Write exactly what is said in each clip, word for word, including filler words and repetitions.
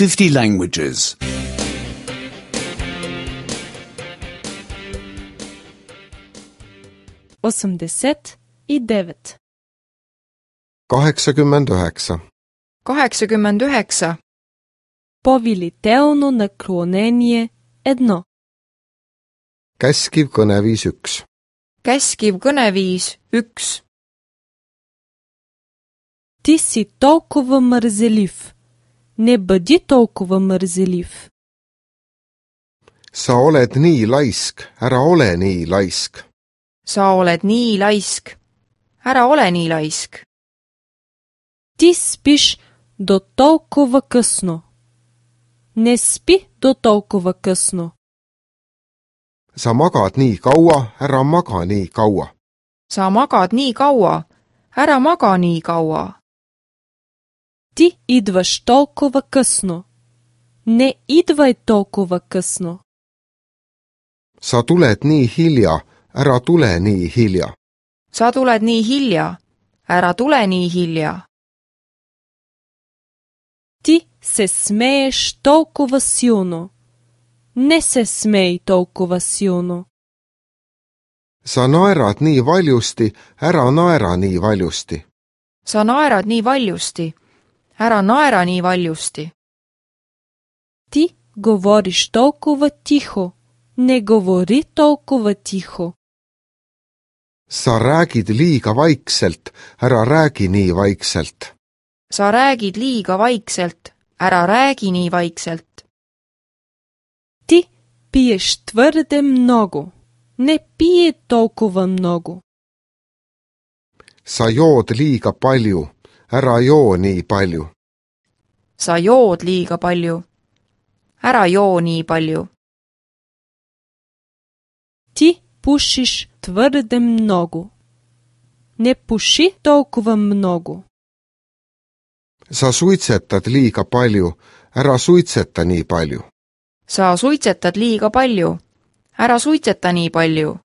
fifty languages. осемдесет и девет. kaheksakümmend üheksa. kaheksakümmend üheksa. Повелително наклонение едно. Käskiv kõneviis üks. Käskiv kõneviis üks. Ти си толкова мързелив. Не бъди толкова мързелив. Sa oled nii laisk, ära ole nii laisk. Sa oled nii laisk. Ära ole nii laisk. Ти спиш до толкова късно. Не спи до толкова късно. Sa magad nii kaua, ära maga nii kaua. Sa magad nii kaua. Ära maga nii kaua. Ти идваш толкова късно. Не идвай толкова късно. Sa tuled nii hilja, ära tule nii hilja. Sa tuled nii hilja. Ära tule nii hilja. Ти се смееш толкова силно. Не се смей толкова силно. Sa naerad nii valjusti, ära naera nii valjusti. Sa naerad nii valjusti. Ära naera nii valjusti. Ти говориш толкова тихо. Не говори толкова тихо. Sa räägid liiga vaikselt, ära räägi nii vaikselt. Sa räägid liiga vaikselt. Ära räägi nii vaikselt. Ти пиеш твърде много. Не пие толкова много. Sa jood liiga palju, ära joo nii palju. Sa jood liiga palju. Ära joo nii palju. Ти пушиш твърде много. Не пуши толкова много. Sa suitsetad liiga palju, ära suitseta nii palju. Sa suitsetad liiga palju. Ära suitseta nii palju.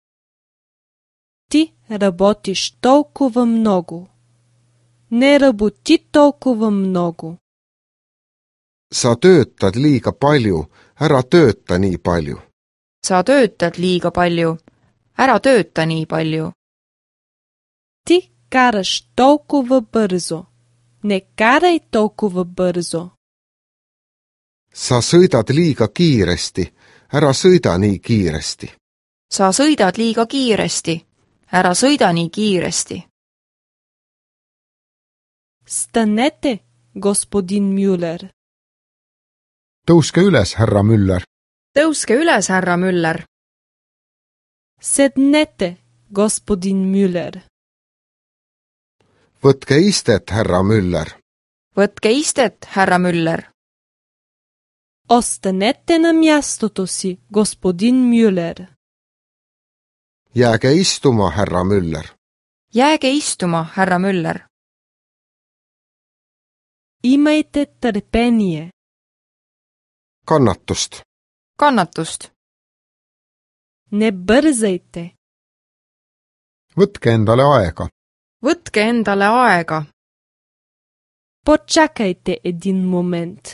Ти работиш толкова много. Не работи толкова много. Sa töötad liiga palju, ära tööta nii palju. Sa töötad liiga palju. Ära tööta nii palju. Ти караш толкова бързо. Не карай толкова бързо. Sa sõidad liiga kiiresti, ära sõida nii kiiresti. Sa sõidad liiga kiiresti. Ära sõida nii kiiresti. Станете, господин Мюллер. Tõuske üles, härra Müller. Tõuske üles, härra Müller. Седнете, господин Мюллер. Võtke istet, härra Müller. Võtke istet, härra Müller. Останете на мястото си, господин Мюллер. Jääge istuma, härra Müller. Jääge istuma, härra Müller. Имайте търпение. Kannatust. Kannatust. Не бързайте. Võtke endale aega. Võtke endale aega. Почакайте един момент.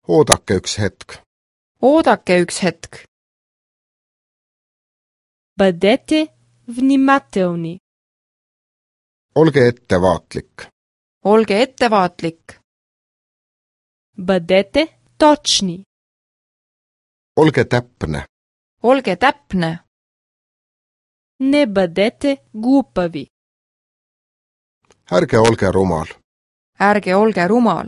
Oodake üks hetk. Oodake üks hetk. Бъдете внимателни. Olge ettevaatlik. Olge ettevaatlik. Бъдете точни. Olge täpne. Olge täpne. Не бъдете глупави. Ärge olge rumal. Ärge olge rumal.